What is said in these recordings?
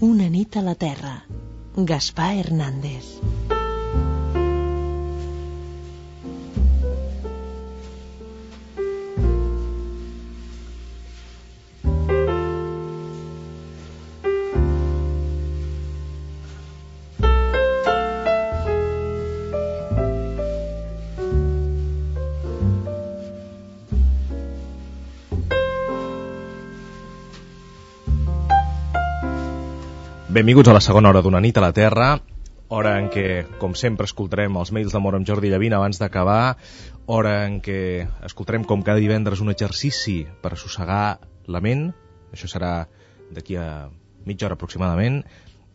Una nit a la Terra. Gaspar Hernández. Benvinguts a la segona hora d'Una nit a la Terra, hora en què, com sempre, escoltarem els mails d'amor amb Jordi Llavina abans d'acabar, hora en què escoltarem com cada divendres un exercici per assossegar la ment, això serà d'aquí a mitja hora aproximadament,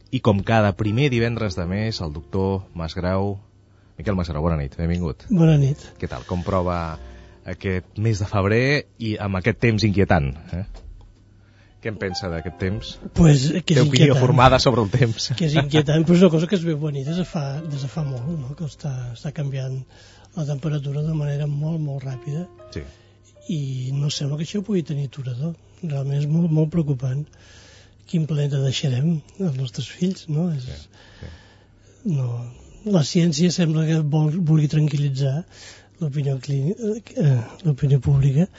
i com cada primer divendres de mes, el doctor Masgrau. Miquel Masgrau, bona nit, benvingut. Bona nit. Què tal, com prova aquest mes de febrer i amb aquest temps inquietant, Què en pensa d'aquest temps? Pues, que té opinió formada sobre el temps. Que és inquietant, però és una cosa que es veu venir des de fa molt, no? Que està canviant la temperatura de manera molt, molt ràpida. Sí. I no sembla que això pugui tenir aturador. Realment és molt, molt preocupant. Quin planeta deixarem als nostres fills, no? Sí. No. La ciència sembla que vulgui tranquil·litzar l'opinió pública,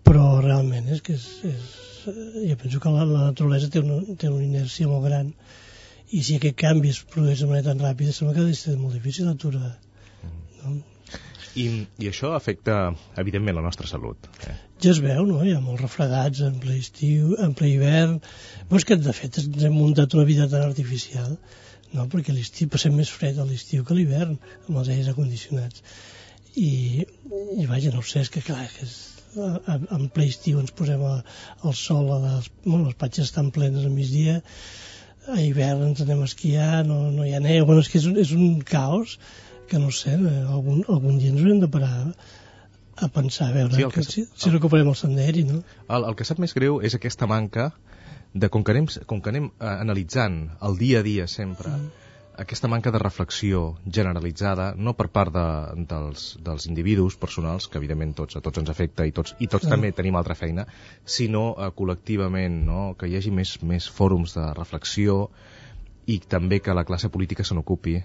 però realment és que jo penso que la naturalesa té una inèrcia molt gran, i si aquest canvi es produeix de manera tan ràpida sembla que és molt difícil d'aturar, no? I això afecta evidentment la nostra salut, Ja es veu, no? Hi ha molts refredats en ple estiu, en ple hivern, però és que de fet ens hem muntat una vida tan artificial, no? Perquè l'estiu passem més fred a l'estiu que a l'hivern amb els aires acondicionats, i vaja, no ho sé, és que clar, que és en ple estiu ens posem al sol, les platges estan plenes al migdia, a hivern ens anem a esquiar, no hi ha neu, bueno, és que és un caos que no sé, algun dia ens haurem de parar a pensar, a veure si recuperem el senderi, no? El que sap més greu és aquesta manca de, com que anem analitzant el dia a dia sempre, aquesta manca de reflexió generalitzada, no per part dels individus personals, que evidentment a tots ens afecta i tots també tenim altra feina, sinó col·lectivament, no? Que hi hagi més fòrums de reflexió i també que la classe política se n'ocupi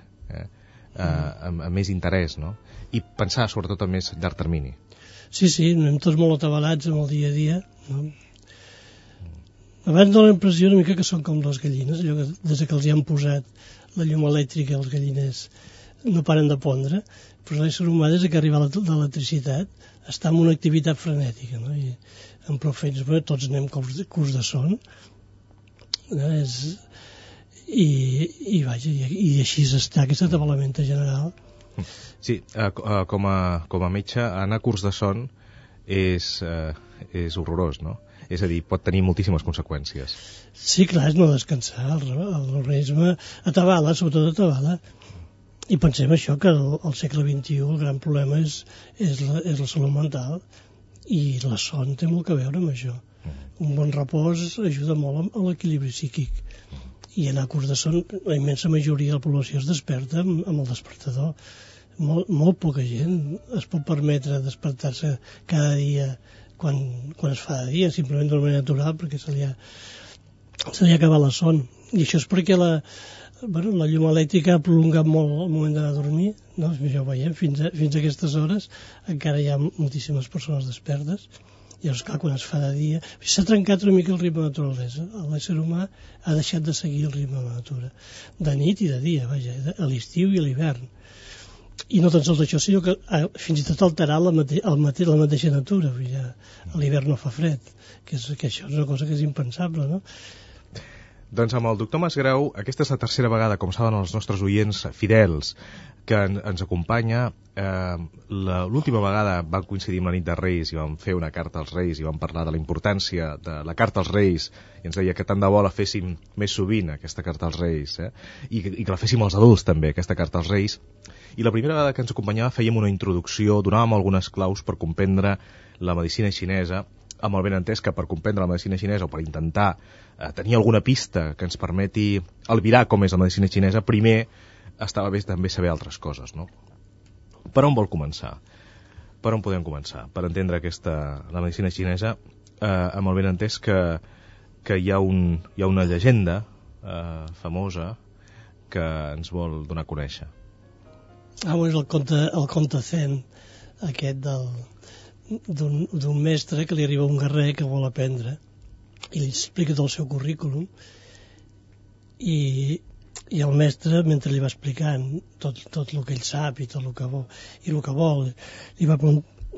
amb més interès, no? I pensar sobretot a més llarg termini. Sí, anem tots molt atabalats amb el dia a dia, no? Abans dona la impressió una mica que són com les gallines, allò que des que els hi han posat la llum elèctrica els galliners no paren de pondre, però l'ésser humà des que arriba l'electricitat està en una activitat frenètica, no? I amb prou feines, tots anem curs de son, no? I així està aquest atabalament general. Sí, com a metge anar a curs de son és horrorós, no? És a dir, pot tenir moltíssimes conseqüències. Sí, clar, és no descansar, l'organisme atabala, sobretot atabala. I pensem això, que al segle XXI el gran problema és la salut mental, i la son té molt a veure amb això. Un bon repòs ajuda molt a l'equilibri psíquic. I anar a curs de son, la immensa majoria de la població es desperta amb el despertador. Molt poca gent es pot permetre despertar-se cada dia quan es fa de dia, simplement d'una manera natural, perquè se li ha acabat la son. I això és perquè la llum elèctrica ha prolongat molt el moment d'anar a dormir, no? Ja ho veiem, fins a aquestes hores encara hi ha moltíssimes persones despertes. Llavors, clar, quan es fa de dia s'ha trencat una mica el ritme de la naturalesa. L'ésser humà ha deixat de seguir el ritme de la natura, de nit i de dia, vaja, a l'estiu i a l'hivern. I no tan sols això, sinó que fins i tot alterar la mateixa natura. A l'hivern no fa fred, que això és una cosa que és impensable, no? Doncs amb el doctor Masgrau, aquesta és la tercera vegada, com saben els nostres oients fidels, que ens acompanya. L'última vegada vam coincidir amb la nit de Reis i vam fer una carta als Reis i vam parlar de la importància de la carta als Reis, i ens deia que tant de bo la féssim més sovint, aquesta carta als Reis, i que la féssim als adults també, aquesta carta als Reis. I la primera vegada que ens acompanyava fèiem una introducció, donàvem algunes claus per comprendre la medicina xinesa, amb el benentès que per comprendre la medicina xinesa o per intentar tenir alguna pista que ens permeti albirar com és la medicina xinesa, primer estava bé també saber altres coses, no? Per on vol començar? Per on podem començar? Per entendre la medicina xinesa, amb el benentès que hi ha una llegenda famosa que ens vol donar a conèixer. És el conte Zen, aquest d'un mestre que li arriba un guerrer que vol aprendre i li explica tot el seu currículum i el mestre, mentre li va explicant tot el que ell sap i tot el que vol,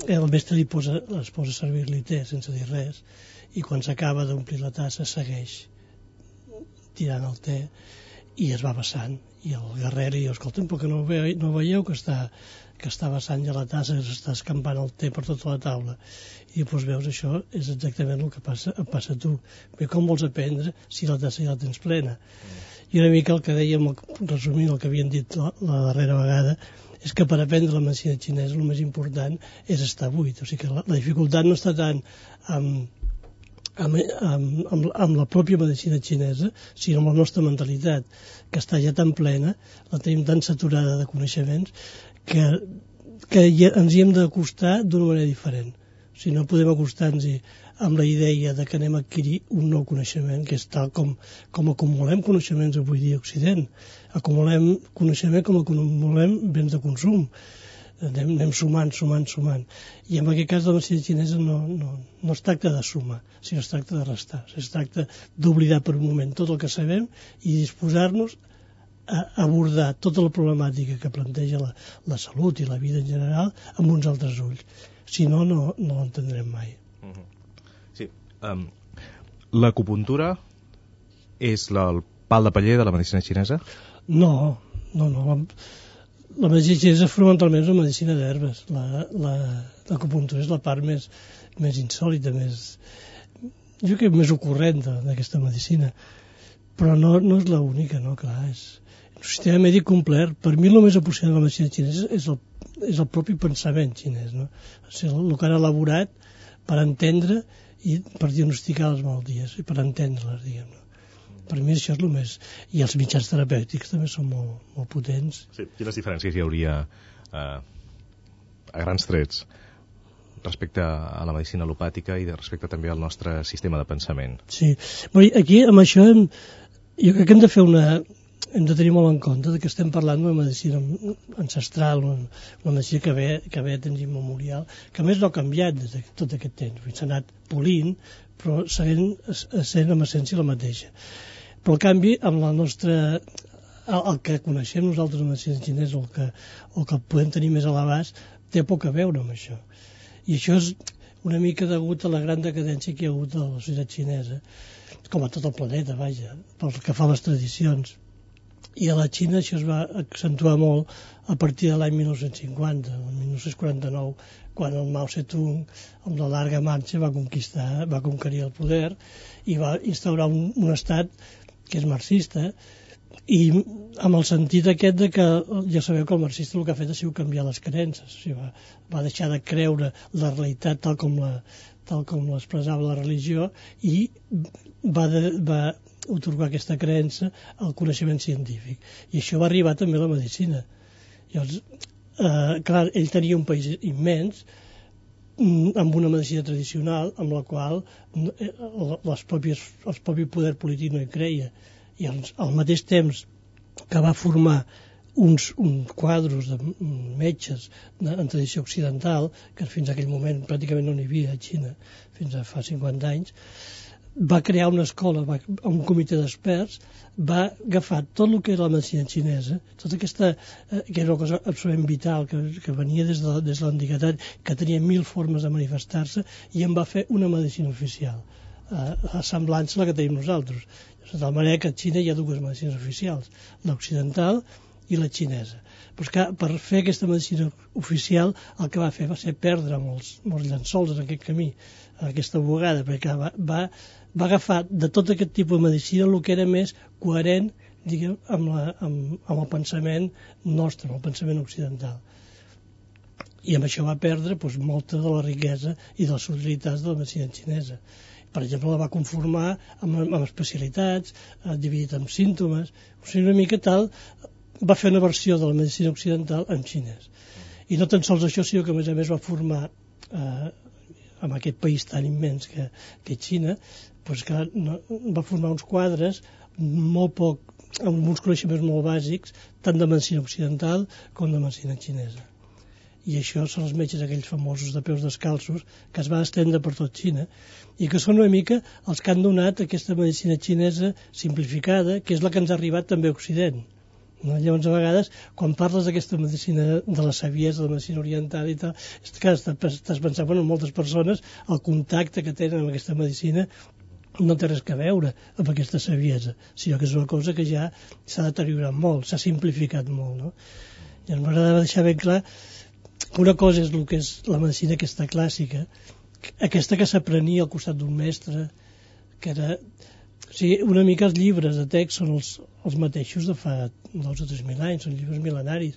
el mestre es posa a servir-li té sense dir res, i quan s'acaba d'omplir la tassa segueix tirant el té i es va vessant, i el guerrer li diu: escolta'm, però que no veieu que està vessant ja la tassa, que s'està escampant el té per tota la taula? I doncs veus, això és exactament el que passa a tu. Bé, com vols aprendre si la tassa ja la tens plena? I una mica el que dèiem, resumint el que havien dit la darrera vegada, és que per aprendre la medicina xinesa el més important és estar buit. O sigui que la dificultat no està tant amb la pròpia medicina xinesa, sinó amb la nostra mentalitat, que està ja tan plena, la tenim tan saturada de coneixements, que ens hi hem d'acostar d'una manera diferent. O sigui, no podem acostar-nos amb la idea de que anem a adquirir un nou coneixement, que és tal com acumulem coneixements avui dia a Occident. Acumulem coneixement com acumulem béns de consum. Anem sumant. I en aquest cas la medicina xinesa no es tracta de sumar, sinó es tracta de restar. Es tracta d'oblidar per un moment tot el que sabem i disposar-nos a abordar tota la problemàtica que planteja la salut i la vida en general amb uns altres ulls. Si no l'entendrem mai. Sí. L'acupuntura és el pal de paller de la medicina xinesa? No. La medicina xinesa fonamentalment és una medicina d'herbes. L'acupuntura és la part més insòlita, jo crec més ocurrent d'aquesta medicina. Però no és l'única, no, clar. És un sistema mèdic complet. Per mi el més apassionant de la medicina xinesa és el propi pensament xinès, no? O sigui, el que han elaborat per entendre i per diagnosticar les malalties i per entendre-les, diguem-ne. Per mi això és el més... I els mitjans terapèutics també són molt potents. Sí. Quines diferències hi hauria a grans trets respecte a la medicina al·lopàtica i respecte també al nostre sistema de pensament? Sí. Aquí, amb això, jo crec que hem de tenir molt en compte que estem parlant d'una medicina ancestral, una medicina que ve de temps immemorial, que a més no ha canviat des de tot aquest temps. S'ha anat polint, però sent en essència la mateixa. Però, en canvi, amb la nostra... el que coneixem nosaltres de medicina xinesa, el que podem tenir més a l'abast, té poc a veure amb això. I això és una mica degut a la gran decadència que hi ha hagut a la societat xinesa, com a tot el planeta, vaja, pel que fa a les tradicions. I a la Xina això es va accentuar molt a partir de l'any 1950, el 1949, quan el Mao Zedong, amb la llarga marxa, va conquerir el poder i va instaurar un estat que és marxista, i amb el sentit aquest de que ja sabeu que el marxista el que ha fet ha sigut canviar les creences. O sigui, va deixar de creure la realitat tal com l'expressava la religió i va otorgar aquesta creença al coneixement científic. I això va arribar també a la medicina. Llavors, clar, ell tenia un país immens amb una medicina tradicional amb la qual el propi poder polític no hi creia. I al mateix temps que va formar uns quadros de metges en tradició occidental, que fins a aquell moment pràcticament no n'hi havia a Xina, fins a fa 50 anys, va crear una escola, un comitè d'experts, va agafar tot el que era la medicina xinesa, tota aquesta, que era una cosa absolutament vital, que venia des de l'antiguitat, que tenia 1000 formes de manifestar-se, i en va fer una medicina oficial, semblant a la que tenim nosaltres. De tal manera que a Xina hi ha dues medicines oficials, l'occidental i la xinesa. Però que per fer aquesta medicina oficial el que va fer va ser perdre molts llençols en aquest camí, aquesta bugada, perquè va agafar de tot aquest tipus de medicina el que era més coherent, diguem, amb el pensament nostre, amb el pensament occidental. I amb això va perdre molta de la riquesa i de les subtilitats de la medicina xinesa. Per exemple, la va conformar amb especialitats, dividit en símptomes, o sigui, una mica tal, va fer una versió de la medicina occidental en xinès. I no tan sols això, sinó que a més va formar en aquest país tan immens que és Xina, doncs que va formar uns quadres molt poc, amb uns coneixements molt bàsics, tant de medicina occidental com de medicina xinesa. I això són els metges aquells famosos de peus descalços que es va estendre per tot Xina i que són una mica els que han donat aquesta medicina xinesa simplificada, que és la que ens ha arribat també a Occident. No? Llavors, a vegades, quan parles d'aquesta medicina de la saviesa, de la medicina oriental i tal, és que estàs pensant, bueno, moltes persones, el contacte que tenen amb aquesta medicina no té res a veure amb aquesta saviesa, sinó que és una cosa que ja s'ha deteriorat molt, s'ha simplificat molt, no? I m'agradava deixar ben clar que una cosa és el que és la medicina aquesta clàssica, aquesta que s'aprenia al costat d'un mestre, que era... O sigui, una mica els llibres de text són els mateixos de fa 2 o 3.000 anys, són llibres mil·lenaris,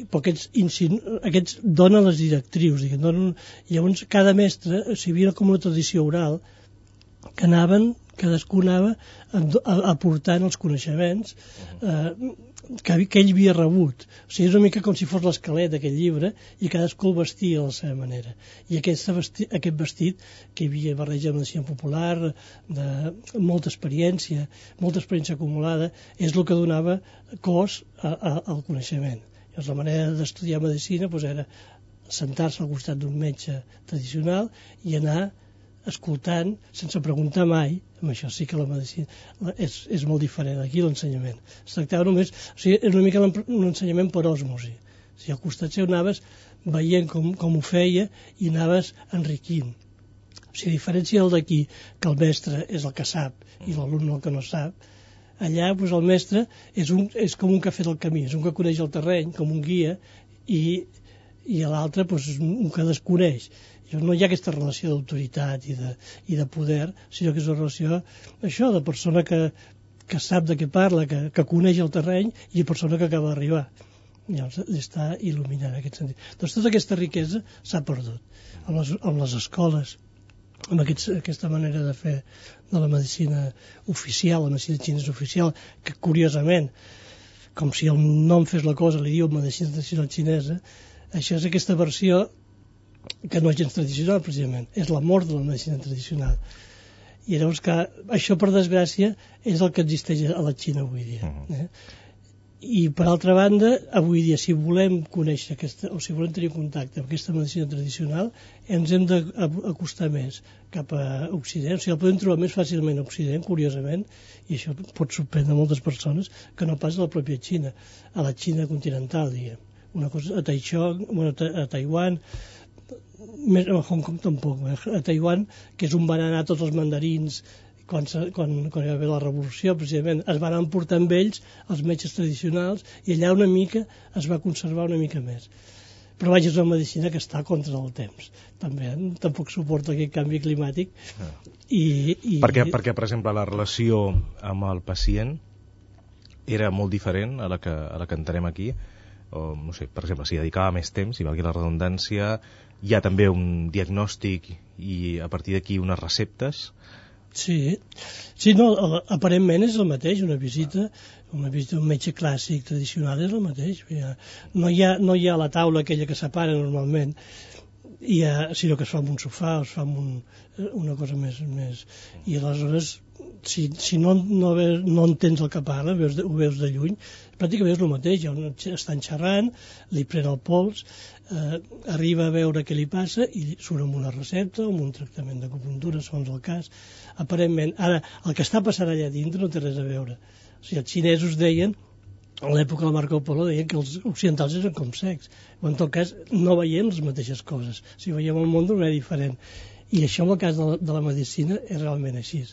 però aquests donen les directrius, diguem, llavors cada mestre, o sigui, havia com una tradició oral, que cadascú anava aportant els coneixements que ell havia rebut. O sigui, és una mica com si fos l'esquelet d'aquest llibre i cadascú el vestia a la seva manera. I aquest vestit que hi havia barreja de medicina popular, de molta experiència acumulada, és el que donava cos al coneixement. Llavors, la manera d'estudiar medicina era sentar-se al costat d'un metge tradicional i anar escoltant, sense preguntar mai. Amb això sí que la medicina és molt diferent. Aquí l'ensenyament es tractava només, o sigui, és una mica un ensenyament per òsmosi. O sigui, al costat seu anaves veient com ho feia i anaves enriquint. O sigui, a diferència del d'aquí, que el mestre és el que sap i l'alumne el que no sap, allà el mestre és com un que ha fet el camí, és un que coneix el terreny, com un guia, i l'altre és un que desconeix. No hi ha aquesta relació d'autoritat i de poder, sinó que és una relació això, de persona que sap de què parla, que coneix el terreny, i persona que acaba d'arribar. Llavors està il·luminant en aquest sentit. Doncs tota aquesta riquesa s'ha perdut amb les escoles, amb aquesta manera de fer de la medicina oficial, la medicina xinesa oficial, que curiosament, com si el nom fes la cosa, li diu medicina tradicional xinesa, això és aquesta versió que no és gens tradicional, precisament. És la mort de la medicina tradicional. I llavors que això, per desgràcia, és el que existeix a la Xina avui dia. I, per altra banda, avui dia, si volem conèixer o si volem tenir contacte amb aquesta medicina tradicional, ens hem d'acostar més cap a Occident. O sigui, el podem trobar més fàcilment a Occident, curiosament, i això pot sorprendre moltes persones, que no pas a la pròpia Xina, a la Xina continental, diguem. Una cosa, a Taichung, a Taiwan, a Hong Kong tampoc, a Taiwan, que és on van anar tots els mandarins quan hi va haver la revolució, precisament, es van emportar amb ells els metges tradicionals i allà una mica es va conservar una mica més. Però vaja, és una medicina que està contra el temps. Tampoc suporta aquest canvi climàtic. Perquè, per exemple, la relació amb el pacient era molt diferent a la que entenem aquí, o, no sé, per exemple, si dedicava més temps, si valgui la redundància, hi ha també un diagnòstic i a partir d'aquí unes receptes. Sí, no, aparentment és el mateix, una visita d'un metge clàssic tradicional és el mateix. No hi ha la taula aquella que separa normalment, sinó que es fa amb un sofà, es fa amb una cosa més... I aleshores, si no entens el que parla, ho veus de lluny, pràcticament és el mateix, estan xerrant, li pren el pols, arriba a veure què li passa i surt amb una recepta, amb un tractament d'acupuntura, segons el cas. Aparentment, ara, el que està passant allà dintre no té res a veure. O sigui, els xinesos deien, a l'època de Marco Polo, deien que els occidentals eren com secs. O en tot cas, no veiem les mateixes coses. O sigui, veiem el món d'una manera diferent. I això, en el cas de la medicina, és realment així.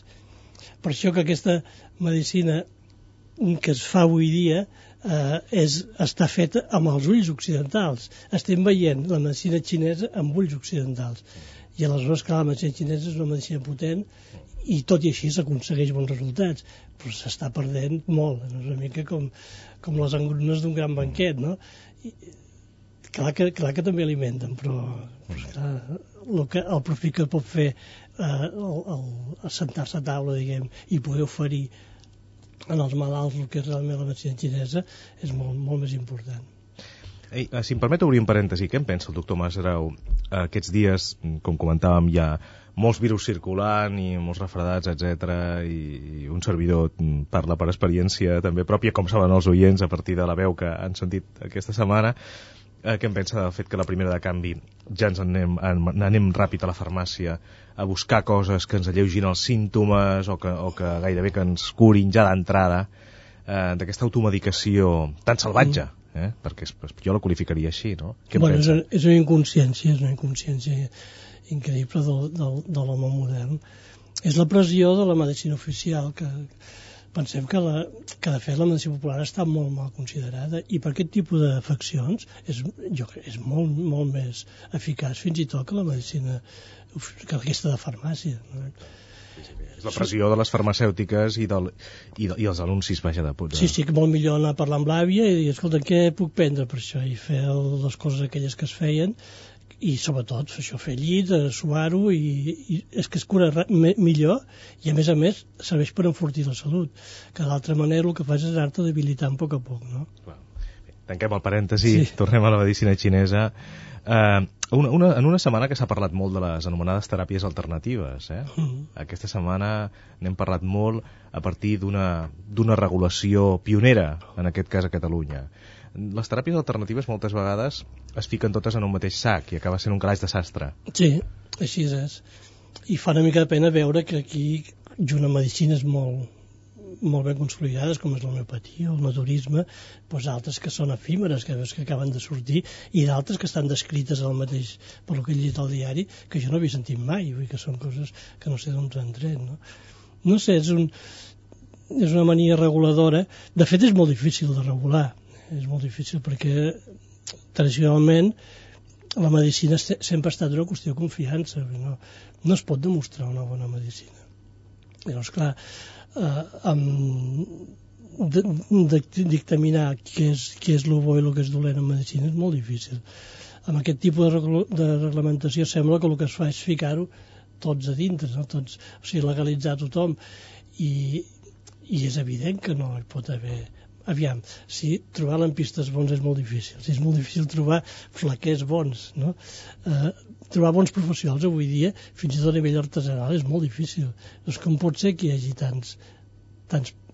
Per això que aquesta medicina que es fa avui dia està feta amb els ulls occidentals. Estem veient la medicina xinesa amb ulls occidentals. I aleshores, clar, la medicina xinesa és una medicina potent i tot i així s'aconsegueix bons resultats, però s'està perdent molt. És una mica com les engrunes d'un gran banquet, no? Clar que també alimenten, però clar, el profit que pot fer sentar-se a taula, diguem, i poder oferir en els malalts el que és realment la medicina xinesa és molt, molt més important. Si em permet obrir un parèntesi, què en pensa el doctor Masgrau aquests dies, com comentàvem, hi ha molts virus circulant i molts refredats, etc. I un servidor parla per experiència també pròpia, com saben els oients a partir de la veu que han sentit aquesta setmana. Què em pensa del fet que la primera de canvi ja ens anem ràpid a la farmàcia a buscar coses que ens alleugin els símptomes o que gairebé que ens curin ja d'entrada, d'aquesta automedicació tan salvatge, perquè jo la qualificaria així, no? Què em pensa? És una inconsciència increïble de l'home modern. És la pressió de la medicina oficial que pensem que de fet la medicina popular està molt mal considerada i per aquest tipus d'afeccions és molt, molt més eficaç fins i tot que la medicina que aquesta de farmàcia. És la pressió de les farmacèutiques i els anuncis, vaja, de puta. Sí, que molt millor anar a parlar amb l'àvia i dir, escolta, què puc prendre per això? I fer les coses aquelles que es feien i sobretot fer llit, suar-ho i és que es cura millor i a més serveix per enfortir la salut, que d'altra manera el que fas és anar-te debilitant a poc, no? Tanquem el parèntesi, sí. Tornem a la medicina xinesa. En una setmana que s'ha parlat molt de les anomenades teràpies alternatives, Aquesta setmana n'hem parlat molt a partir d'una regulació pionera, en aquest cas a Catalunya. Les teràpies alternatives moltes vegades es fiquen totes en un mateix sac i acaba sent un calaix de sastre. Sí, així és. I fa una mica de pena veure que aquí junt amb medicines molt ben consolidades, com és l'homeopatia o el naturisme, doncs altres que són efímeres, que acaben de sortir, i d'altres que estan descrites al mateix, per lo que he llegit al diari, que jo no havia sentit mai, vull dir que són coses que no sé d'on s'han tret, no? No sé, és una mania reguladora. De fet, és molt difícil de regular. És molt difícil perquè tradicionalment la medicina sempre ha estat una qüestió de confiança. No es pot demostrar una bona medicina. Llavors, clar, dictaminar què és el bo i el que és dolent en medicina és molt difícil. Amb aquest tipus de reglamentació sembla que el que es fa és ficar-ho tots a dintre, no? O sigui, legalitzar tothom. I és evident que no hi pot haver... Aviam, si trobar lampistes bons és molt difícil, si és molt difícil trobar flaquers bons, no? Trobar bons professionals avui dia, fins i tot a nivell artesanal, és molt difícil. Doncs com pot ser que hi hagi tants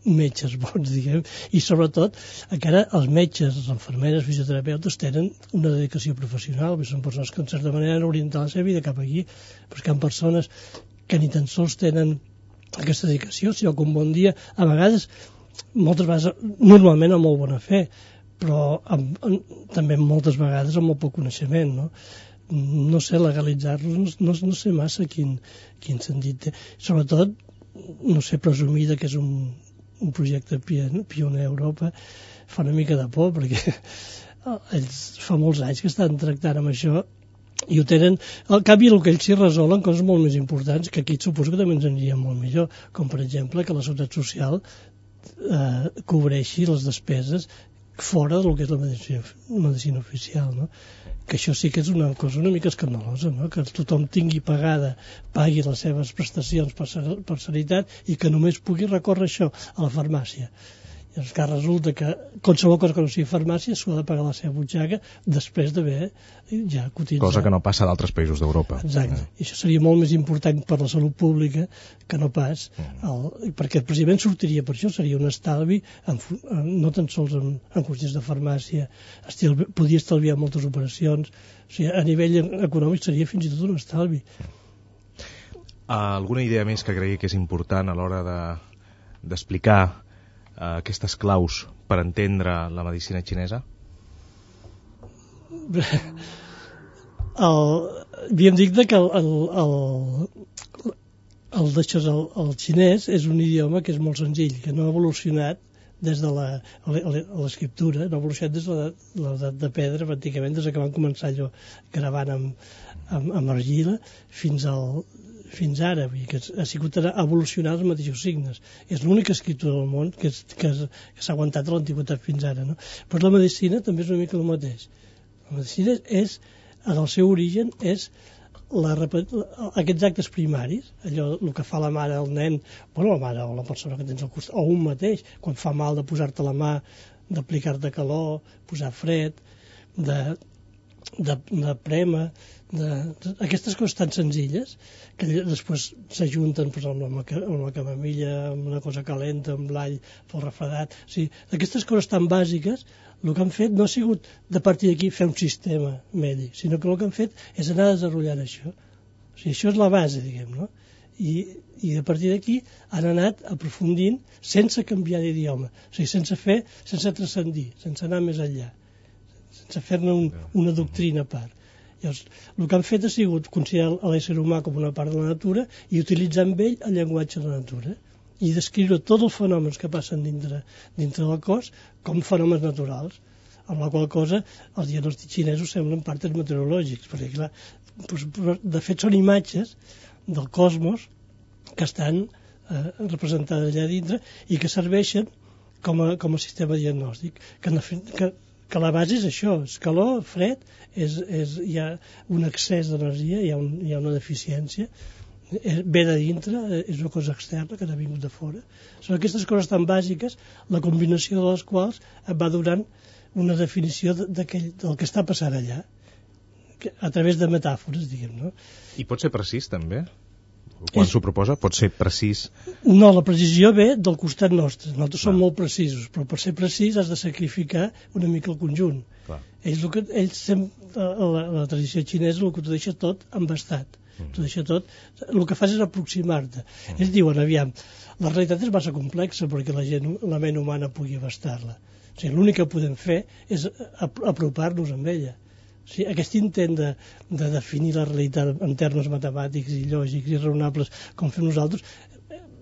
metges bons, diguem, i sobretot encara els metges, les infermeres, fisioterapeutes tenen una dedicació professional, són persones que en certa manera han orientat la seva vida cap aquí, però que hi ha persones que ni tan sols tenen aquesta dedicació, sinó que un bon dia, a vegades, moltes vegades, normalment amb molt bona fe, però també moltes vegades amb molt poc coneixement, no? No sé, legalitzar-los, no sé massa quin sentit té. Sobretot, no sé, presumir que és un projecte pioner a Europa fa una mica de por, perquè ells fa molts anys que estan tractant amb això i ho tenen, al canvi el que ells s'hi resolen coses molt més importants que aquí suposo que també ens aniria molt millor, com per exemple que la Seguretat Social cobreixi les despeses fora del que és la medicina oficial, no? Que això sí que és una cosa una mica escandalosa, no? Que tothom pagui les seves prestacions per sanitat i que només pugui recórrer això a la farmàcia. I és que resulta que qualsevol cosa que no sigui farmàcia s'ho ha de pagar la seva butxaca després d'haver ja cotitzat. Cosa que no passa a d'altres països d'Europa. Exacte. I això seria molt més important per la salut pública que no pas, perquè precisament sortiria per això, seria un estalvi, no tan sols en qüestions de farmàcia, podria estalviar moltes operacions, o sigui, a nivell econòmic seria fins i tot un estalvi. Alguna idea més que cregui que és important a l'hora d'explicar aquestes claus per entendre la medicina xinesa? Havíem dit que el xinès és un idioma que és molt senzill, que no ha evolucionat des de l'escriptura, no ha evolucionat des de l'edat de pedra, pràcticament des que van començar allò gravant amb argila fins ara, que ha sigut evolucionar els mateixos signes. És l'única escriptura del món que s'ha aguantat de l'antiguitat fins ara, no? Però la medicina també és una mica el mateix. La medicina en el seu origen és aquests actes primaris, allò el que fa la mare al nen, la mare o la persona que tens al costat, o un mateix, quan fa mal de posar-te la mà, d'aplicar-te calor, posar fred, de prema, aquestes coses tan senzilles que després s'ajunten amb la camamilla, amb una cosa calenta, amb l'all pel refredat. O sigui, aquestes coses tan bàsiques, el que han fet no ha sigut de partir d'aquí fer un sistema mèdic, sinó que el que han fet és anar desenvolupant això. O sigui, això és la base, diguem, no? I a partir d'aquí han anat aprofundint sense canviar d'idioma, o sigui, sense transcendir, sense anar més enllà, sense fer-ne una doctrina a part. Llavors, el que han fet ha sigut considerar l'ésser humà com una part de la natura i utilitzar amb ell el llenguatge de la natura i descriure tots els fenòmens que passen dintre del cos com fenòmens naturals, amb la qual cosa els diagnòstics xinesos semblen partes meteorològics, perquè clar, de fet són imatges del cosmos que estan representades allà dintre i que serveixen com a sistema diagnòstic, que la base és això, és calor, fred, hi ha un excés d'energia, hi ha una deficiència, ve de dintre, és una cosa externa que ha vingut de fora. Són aquestes coses tan bàsiques, la combinació de les quals et va donant una definició del que està passant allà, a través de metàfores, diguem, no? I pot ser precís, també? Quan s'ho proposa, pot ser precís? No, la precisió ve del costat nostre. Nosaltres som molt precisos, però per ser precís has de sacrificar una mica el conjunt. La tradició xinesa el que t'ho deixa tot embastat. T'ho deixa tot, el que fas és aproximar-te. Ells diuen, aviam, la realitat és massa complexa perquè la ment humana pugui abastar-la. O sigui, l'únic que podem fer és apropar-nos amb ella. O sigui, aquest intent de definir la realitat en termes matemàtics i lògics i raonables com fem nosaltres,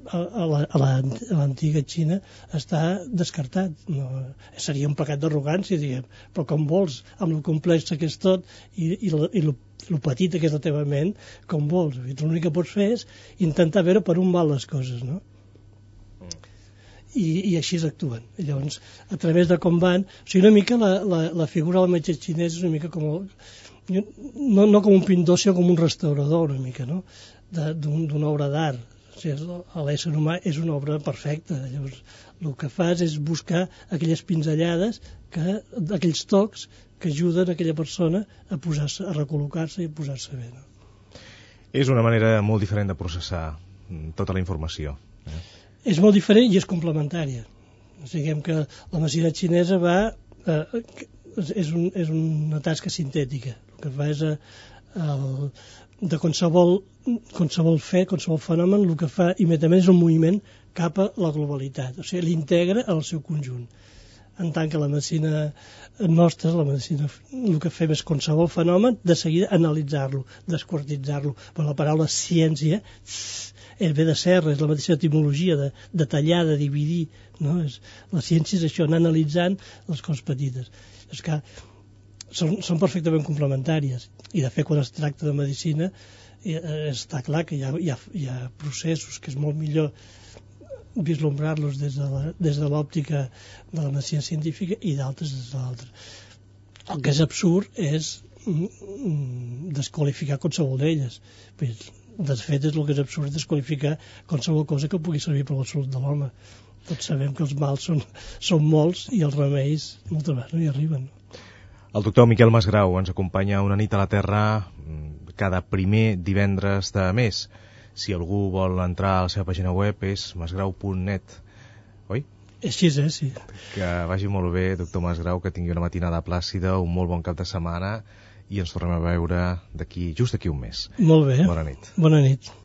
a l'antiga Xina està descartat. No, seria un pecat d'arrogància, diguem, però com vols, amb el complex que és tot i el petita que és la teva ment, com vols. L'únic que pots fer és intentar veure per on van les coses, no? I així actuen. Llavors, a través de com van... O sigui, una mica la figura del metge xinès és una mica com... No com un pintor, sinó com un restaurador, una mica, no? D'una obra d'art. O sigui, l'ésser humà és una obra perfecta. Llavors, el que fas és buscar aquelles pinzellades, aquells tocs que ajuden aquella persona a recol·locar-se i a posar-se bé, no? És una manera molt diferent de processar tota la informació. És molt diferent i és complementària. O sigui, que la medicina xinesa és una tasca sintètica. El que fa és de qualsevol fet, qualsevol fenomen, el que fa immediatament és un moviment cap a la globalitat. O sigui, l'integra en el seu conjunt. En tant que la medicina nostra, el que fem és qualsevol fenomen, de seguida analitzar-lo, desquartitzar-lo. Però la paraula ciència ve de serra, és la mateixa etimologia de tallar, de dividir, no? La ciència és això, anar analitzant les coses petites. És que són perfectament complementàries i de fet quan es tracta de medicina està clar que hi ha processos que és molt millor vislumbrar-los des de l'òptica de la medicina científica i d'altres des de l'altra. El que és absurd és desqualificar qualsevol d'elles. De fet, és el que és absurd desqualificar qualsevol cosa que pugui servir per la salut de l'home. Tots sabem que els mals són molts i els remeis moltes vegades no hi arriben. El doctor Miquel Masgrau ens acompanya una nit a la Terra cada primer divendres de mes. Si algú vol entrar a la seva pàgina web és masgrau.net, oi? Així és, sí. Que vagi molt bé, doctor Masgrau, que tingui una matinada plàcida, un molt bon cap de setmana i ens tornem a veure just d'aquí un mes. Molt bé. Bona nit. Bona nit.